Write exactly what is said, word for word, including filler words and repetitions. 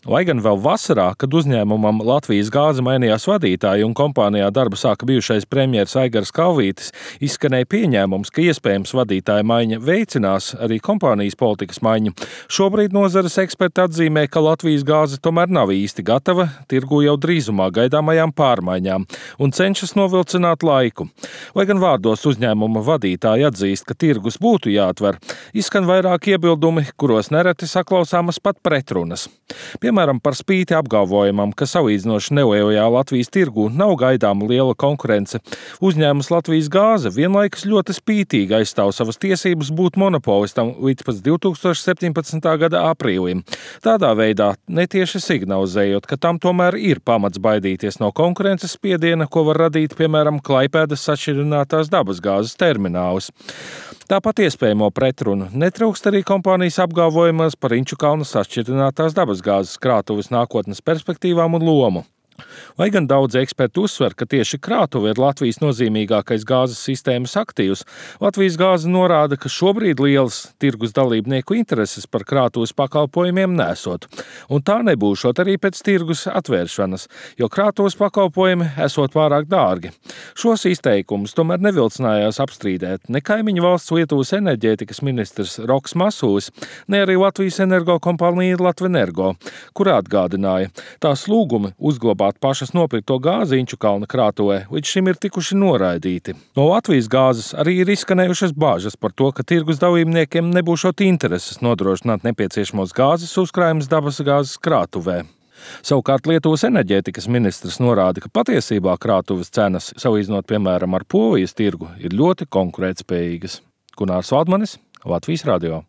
Lai gan vēl vasarā, kad uzņēmumam Latvijas gāze mainījās vadītāji un kompānijā darbu sāka bijušais premjers Aigars Kalvītis, izskanēja pieņēmums, ka iespējams vadītāja maiņa veicinās arī kompānijas politikas maiņu. Šobrīd nozares eksperti atzīmē, ka Latvijas gāze tomēr nav īsti gatava tirgu jau drīzumā gaidāmajām pārmaiņām un cenšas novilcināt laiku. Lai gan vārdos uzņēmuma vadītāji atzīst, ka tirgus būtu jāatver, izskan vairāk iebildumi, kuros nereti saklausāmas pat pretrunas. Piemēram, par spīti apgalvojumam, ka salīdzinoši nelielajā Latvijas tirgū nav gaidāma liela konkurence, uzņēmums Latvijas gāze vienlaikus ļoti spītīgi aizstāv savas tiesības būt monopolistam līdz pat divi tūkstoši septiņpadsmitā gada aprīlim. Tādā veidā netieši signalizējot, ka tam tomēr ir pamats baidīties no konkurences spiediena, ko var radīt, piemēram, Klaipēdas sašķidrinātās dabasgāzes terminālis. Tāpat iespējamo pretrunu netrūkst arī kompānijas apgalvojumos par Inčukalna sašķidrinātās dabasgāzes krātuves nākotnes perspektīvām un lomu. Lai gan daudz eksperti uzsver, ka tieši krātuve ir Latvijas nozīmīgākais gāzes sistēmas aktīvs, Latvijas gāze norāda, ka šobrīd lielas tirgus dalībnieku intereses par krātuves pakalpojumiem nesot, un tā nebūšot arī pēc tirgus atvēršanas, jo krātuves pakalpojumi esot pārāk dārgi. Šos izteikumus tomēr nevilcinājās apstrīdēt ne kaimiņu valsts Lietuvas enerģētikas ministrs Roks Masulis, ne arī Latvijas energokompānija Latvenergo, kur atgādināja, tās lūgumi uzglabāt pašas nopirkto gāzi Inčukalna krātuvē līdz šim ir tikuši noraidīti. No Latvijas gāzes arī ir izskanējušas bāžas par to, ka tirgus dalībniekiem nebūšot intereses nodrošināt nepieciešamos gāzes uzkrājumus dabasgāzes krātuvē. Savukārt Lietuvas enerģētikas ministrs norāda, ka patiesībā krātuves cenas, salīdzinot piemēram ar Polijas tirgu, ir ļoti konkurētspējīgas. Gunārs Valdmanis, Latvijas radio.